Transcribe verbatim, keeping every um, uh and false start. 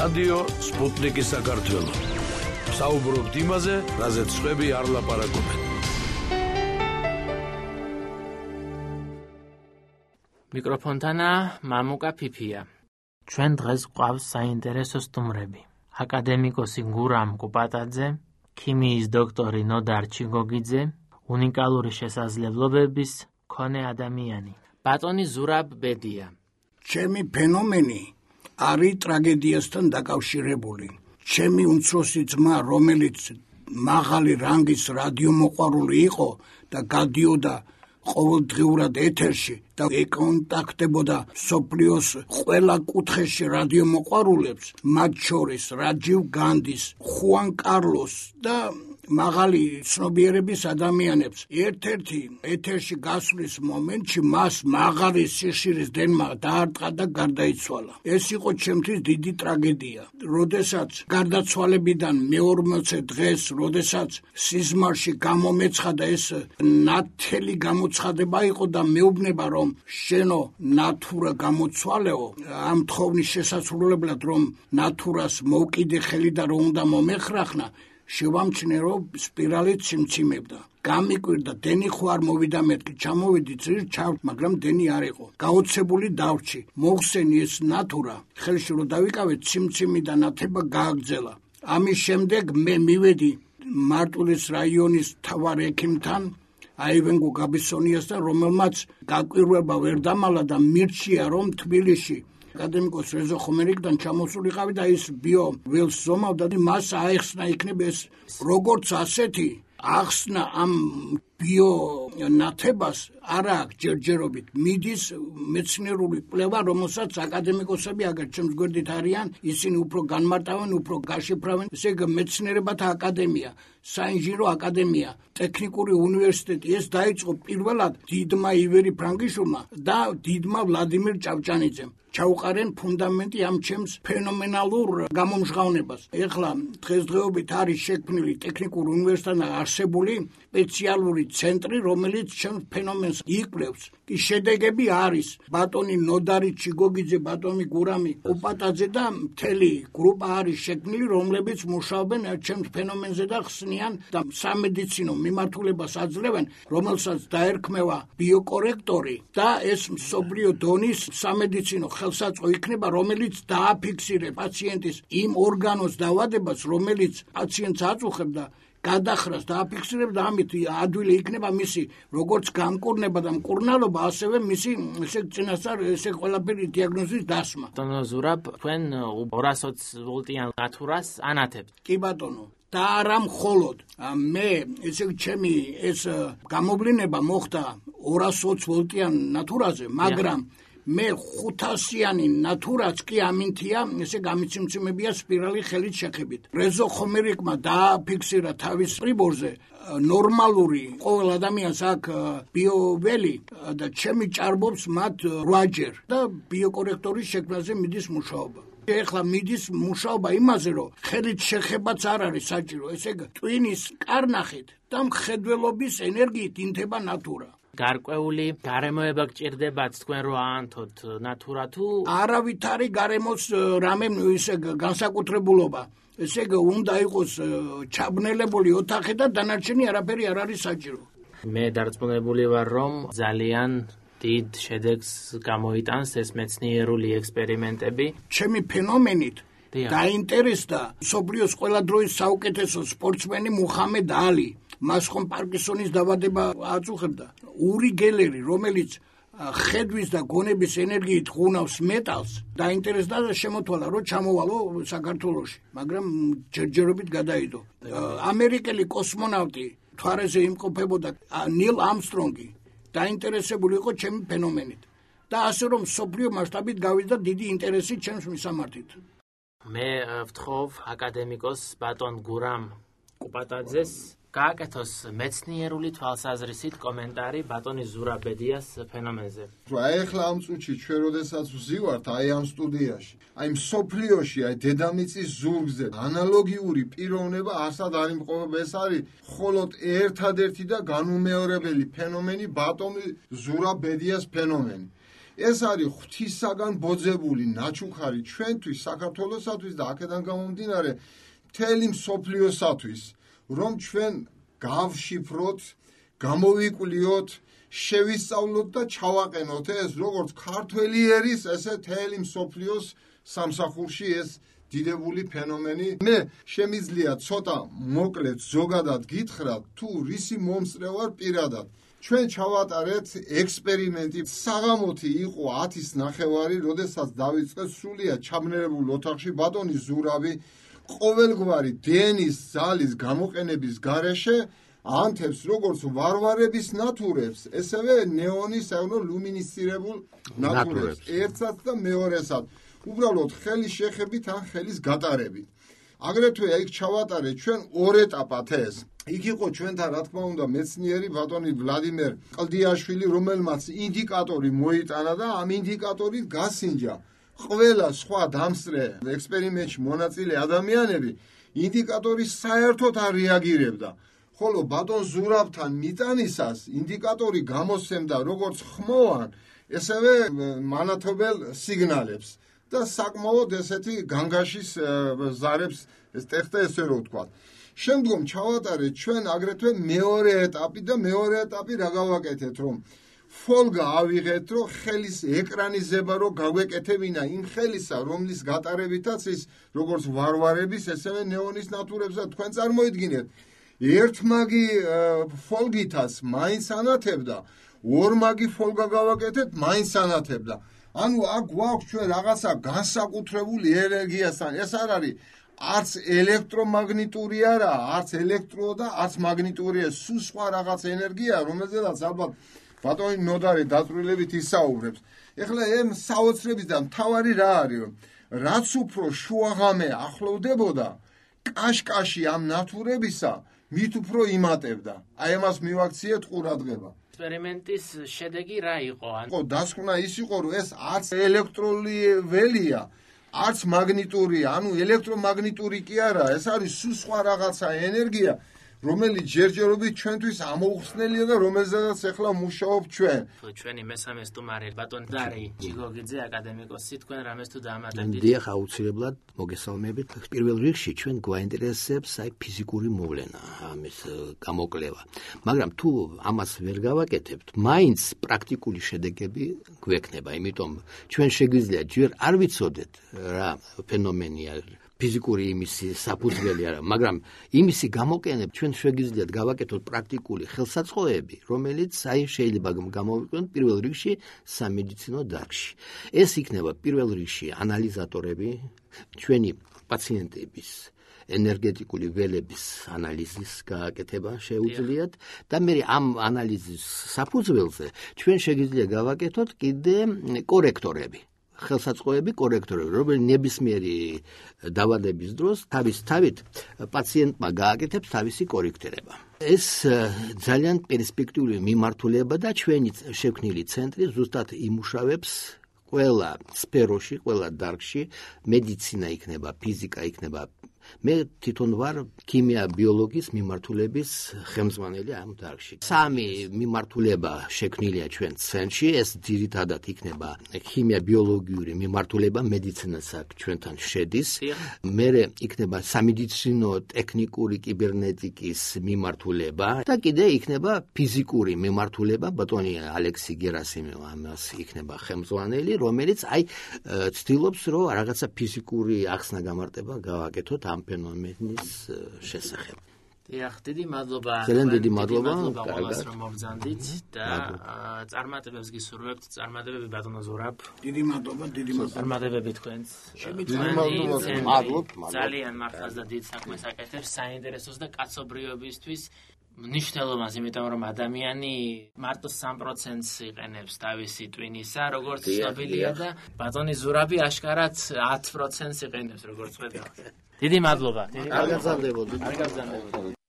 რადიო სპუტნიკი საქართველო. საუბრობთ იმაზე, რაზეც სხვები არ ლაპარაკობენ. მიკროფონთანა მამუკა ფიფია. ჩვენ დღეს გვყავს საინტერესო სტუმრები. აკადემიკოსი გურამ კუპატაძე, ქიმიის დოქტორი ნოდარ ჩიგოგიძე, უნიკალური შესაძლებლობების მქონე ადამიანი. ბატონი ზურაბ ბედია. ჩემი ფენომენი არის ტრაგედიასთან დაკავშირებული. ჩემი უმცროსი ძმა, რომელიც მაღალი რანგის რადიომოყვარული იყო და გადიოდა ყოველდღიურად ეთერში და ეკონტაქტებოდა სოფლიოს ყველა კუთხეში რადიომოყვარულებს, მათ შორის რაჯივ განდის, ხუან კარლოს და მაღალი ცნობიერების ადამიანებს. ერთ-ერთი ეთერში გასვლის მომენტში მას მაღალი სიხშირის დენმა დაარტყა და გარდაიცვალა. ეს იყო ჩემთვის დიდი ტრაგედია. როდესაც გარდაცვალებიდან მეორმოცე დღეს, როდესაც სიზმარში გამომეცხადა, ეს ნათელი გამოცხადება იყო და მეუბნება, რომ შენო ნათურა გამოცვალეო, ამ თხოვნის შესასრულებლად, რომ ნათურას მოვკიდე ხელი და რომ უნდა მომეხრახნა, შევამჩნე, რომ სპირალით სიმციმებდა. გამიკვირდა, დენი ხო არ მოვიდა, მეთქი ჩამოვიდი წირ ჩავ, მაგრამ დენი არ იყო. გაოცებული დავრჩი, მოხსენი ეს ნათურა, ხელში რომ დავიკავე, სიმციმი და ნათება გააგრძელა. ამის შემდეგ მე მივედი მარტვილის რაიონის მთავარ ექიმთან, აივენგო გაბისონიასთან, რომელმაც გაკვირვება ვერ დამალა და მირჩია, რომ თბილისში აკადემიკოს რეზო ხომერიკიდან ჩამოსულიყავი და ის ბიო ველს ზომავდა და მას აეხსნა იქნებ ეს როგორც ასეთი ახსნა ამ ბიო ნათებას არ აქვს ჯერჯერობით. მიდის მეცნიერული კვლევა, რომელსაც აკადემიკოსები აგერ ჩემს გვერდით არიან, ისინი უფრო განმარტავენ, უფრო გაშიფრავენ. ესე იგი მეცნიერებათა აკადემია, საინჟინრო აკადემია, ტექნიკური უნივერსიტეტი, ეს დაიწყო პირველად დიდმა ივერი ფრანგიშვილმა და დიდმა ვლადიმერ ჭავჭანიძემ. ჩაუყარენ ფუნდამენტი ამ ჩემს ფენომენალურ გამომჟღავნებას. ეხლა დღესდღეობით არის შექმნილი ტექნიკურ უნივერსიტეტთან არსებული სპეციალური ცენტრი, რომელიც ჩემს ფენომენს იკვლევს. კი შედეგები არის ბატონი ნოდარი ჩიგოგიძე, ბატონი გურამი კუპატაძე და მთელი გრუპა არის შექმნილი, რომლებიც მუშაობენ ჩემს ფენომენზე და ხსნიან და სამედიცინო მიმართულებას აძლევენ, რომელსაც დაერქმევა ბიოკორექტორი და ეს მსოფლიო დონის სამედიცინო ხელსაწყო იქნება, რომელიც დააფიქსირე პაციენტის იმ ორგანოს დავადებას, რომელიც პაციენტს აწუხებს და გადახრას დააფიქსირებ და ამით ადვილი იქნება მისი როგორც გამკურნება და მკურნალობა, ასევე მისი ესე წინასწარ ესე ყველაფერი დიაგნოზის დასმა. ბატონო ზურაბ, თქვენ ორას ოცი ვოლტიან ნათურას ანათებთ. კი ბატონო. და არა მხოლოდ მე, ესე ჩემი ეს გამოვლინება მოხდა ორას ოცი ვოლტიან ნათურაზე, მაგრამ მე ხუთასიანი ნათურაც კი ამინთია, ესე გამიციმციმებია სპირალი ხელით შეხებით. რეზო ხომერიკმა დააფიქსირა თავის პრიბორზე ნორმალური ყოველ ადამიანს აქვს ბიოველი და ჩემი ჭარბობს მათ რვაჯერ და ბიოკორექტორის შექმნაზე მიდის მუშაობა. ეხლა მიდის მუშაობა იმაზე, რომ ხელით შეხებაც არ არის საჭირო, ესე ტვინის კარნახით და მხედველობის ენერგიით ინთება ნათურა. გარკვეული გარემოება გჭირდებათ თქვენ რო აანთოთ ნათურა თუ არავით არის გარემოს რამე ისე განსაკუთრებულობა. ესე იგი უნდა იყოს ჩაბნელებული ოთახი და დანარჩენი არაფერი არ არის საჭირო. მე დარწმუნებული ვარ, რომ ძალიან დიდ შედეგს გამოიტანს ეს მეცნიერული ექსპერიმენტები. ჩემი ფენომენით დაინტერესდა მსოფლიოს ყველა დროის საუკეთესო სპორტსმენი მუჰამედ ალი. მას ხომ პარკინსონის დავადება აწუხებდა. ური გელერი, რომელიც ხედვის და გონების ენერგიით ხუნავს მეტალს, დაინტერესდა და შემოთვალა, რომ ჩამოვალო საქართველოში, მაგრამ ჯერჯერობით გადაიდო. ამერიკელი კოსმონავტი მთვარეზე იმყოფებოდა ნილ ამსტრონგი, დაინტერესებული იყო ჩემი ფენომენით და ასე რომ მსოფლიო მასშტაბით გავიდა დიდი ინტერესი ჩემს მისამართით. მე ვთხოვ აკადემიკოს ბატონ გურამ კუპატაძეს გააკეთოს მეცნიერული თვალსაზრისით კომენტარი ბატონი ზურაბ ბედიას ფენომენზე. აი ახლა ამ წუთში ჩვენ როდესაც ვზივართ აი ამ სტუდიაში, აი მსოფლიოში, აი დედამიწის ზურგზე ანალოგიური პიროვნება ასად არ იმყოფება. ეს არის მხოლოდ ერთადერთი და განუმეორებელი ფენომენი, ბატონი ზურაბ ბედიას ფენომენი. ეს არის ღვთისაგან ბოძებული ნაჩუქარი ჩვენთვის, საქართველოსათვის და აქედან გამომდინარე მთელი მსოფლიოსათვის, რომ ჩვენ გავშიფროთ, გამოვიკვლიოთ, შევისწავლოთ და ჩავაყენოთ ეს როგორც ქართველი ერის, ესე მთელი მსოფლიოს სამსახურში ეს დიდებული ფენომენი. მე შემიძლია ცოტა მოკლედ ზოგადად გითხრათ, თუ რისი მომსწრე ვარ პირადად. ჩვენ ჩავატარეთ ექსპერიმენტი. საღამოთი იყო ათის ნახევარი, როდესაც დავიწყეთ სრულიად ჩაბნერებულ ოთახში ბატონი ზურავი ყოველგვარი დენის ძალის გამოყენების გარეშე ანთებს როგორც ვარვარების ნატურებს, ესევე ნეონის ანუ ლუმინისცირებულ ნატურებს, ერთსაც და მეორესად. უბრალოდ ხელის შეხებით ან ხელის გატარებით. აგრეთვე იქ ჩავატარეთ ჩვენ ორ ეტაპად ეს. იქ იყო ჩვენთან რა თქმა უნდა მეცნიერი ბატონი ვლადიმერ ყლდიაშვილი, რომელმაც ინდიკატორი მოიტანა და ამ ინდიკატორით გასინჯა ყველა სხვა დამსწრე ექსპერიმენტში მონაწილე ადამიანები ინდიკატორის საერთოდ არ რეაგირებდა. ხოლო ბატონ ზურავთან მიტანისას ინდიკატორი გამოსცემდა როგორც ხმოვან, ესევე მანათობელ სიგნალებს და საკმაოდ ესეთი განგაშის ზარებს ეს ტეხტა ესე რო ვთქვა. შემდგომ ჩავატარეთ ჩვენ აგრეთვე მეორე ეტაპი და მეორე ეტაპი რა გავაკეთეთ, რომ ფოლგა ავიღეთ, რომ ხელის ეკრანიზება რო გაგვეკეთებინა იმ ხელისა, რომლის გატარებითაც ის როგორც ვარვარების, ესევე ნეონის ნატურებს და თქვენ წარმოიდგინეთ, ერთმაგი ფოლგითაც მაინც ანათებდა, ორმაგი ფოლგა გავაკეთეთ, მაინც ანათებდა. ანუ აქ გვაქვს ჩვენ რაღაცა განსაკუთრებული ენერგიასთან. ეს არ არის არც ელექტრომაგნიტური არა, არც ელექტრო და არც მაგნიტურია, სულ სხვა რაღაც ენერგია, რომელზედაც ალბათ ბატონი ნოდარი დაწვრილებით ისაუბრებს. ეხლა ამ საოცრებიდან მთავარი რა არის? რაც უფრო შუაღამე ახლოვდებოდა კაშკაში ამ ნატურებისა, მით უფრო იმატებდა. აი ამას მივაქციეთ ყურადღება. ექსპერიმენტის შედეგი რა იყო? ხო, დასკვნა ის იყო, რომ ეს არც ელექტრული ველია, არც მაგნიტურია, ანუ ელექტრომაგნიტური კი არა, ეს არის სულ სხვა რაღაცა ენერგია, რომელიც ჯერჯერობით ჩვენთვის ამოუხსნელია და რომელზედაც ახლა მუშაობ ჩვენ. ჩვენი მესამე სტუმარი ბატონ დარი ჯიგოგიძე აკადემიკოსი, თქვენ რამეს თუ დაამატებდით? დიახ, აუცილებლად მოგესალმებით. პირველ რიგში ჩვენ გვაინტერესებს აი ფიზიკური მოვლენა, ამის გამოკვლევა. მაგრამ თუ ამას ვერ გავაკეთებთ, მაინც პრაქტიკული შედეგები გვექნება, იმიტომ ჩვენ შეგვიძლია ჯერ არ ვიცოდეთ რა ფენომენია ფიზიკური იმისი საფუძველი არა, მაგრამ იმისი გამოყენებ ჩვენ შეგვიძლიათ გავაკეთოთ პრაქტიკული ხელსაწყოები, რომელიც აი შეიძლება გამოვიყენოთ პირველ რიგში სამედიცინო დარგში. ეს იქნება პირველ რიგში ანალიზატორები, ჩვენი პაციენტების ენერგეტიკული ველების ანალიზის გააკეთება შეუძლიათ და მე ამ ანალიზის საფუძველზე ჩვენ შეგვიძლია გავაკეთოთ კიდე კორექტორები. ხელსაწყოები კორექტორები, რომელიც ნებისმიერი დაავადების დროს თავის თავით პაციენტმა გააკეთებს თავისი კორექტირება. ეს ძალიან პერსპექტიული მიმართულება და ჩვენი შექმნილი ცენტრი ზუსტად იმუშავებს ყველა სფეროში, ყველა დარგში, მედიცინა იქნება, ფიზიკა იქნება. მე თვითონ ვარ ქიმია ბიოლოგიის მიმართულების ხელმძღვანელი ამ დარგში. სამი მიმართულება შექმნილია ჩვენ ცენტრში, ეს ძირითადად იქნება ქიმია ბიოლოგიური მიმართულება, მედიცინას აქ ჩვენთან შედის. მერე იქნება სამედიცინო ტექნიკური კიბერნეტიკის მიმართულება და კიდე იქნება ფიზიკური მიმართულება, ბატონი ალექსი გერასიმოვი ამას იქნება ხელმძღვანელი, რომელიც აი ცდილობს, რომ რაღაცა ფიზიკური ახსნა გამარტება გავაკეთოთ ამ ფენომენის შესახებ. დიახ, დიდი მადლობა. ძალიან დიდი მადლობა. კარგად რომ მოგზანდით და წარმატებებს გისურვებთ. წარმატებები ბატონო ზურაბ. დიდი მადლობა, დიდი მადლობა. წარმატებები თქვენს. მადლობთ. ძალიან მართლაც და დიდ საქმეს აკეთებს საინტერესოს და კაცობრიობისთვის მნიშვნელობას, იმიტომ რომ ადამიანი მარტო სამ პროცენტს იყენებს თავისი ტვინისა, როგორც ცნობილია და ბატონი ზურაბი აშკარად ათ პროცენტს იყენებს, როგორც ხედავთ. დიდი მადლობა. არ გაგზავნებოდით. არ გაგზავნებოდით.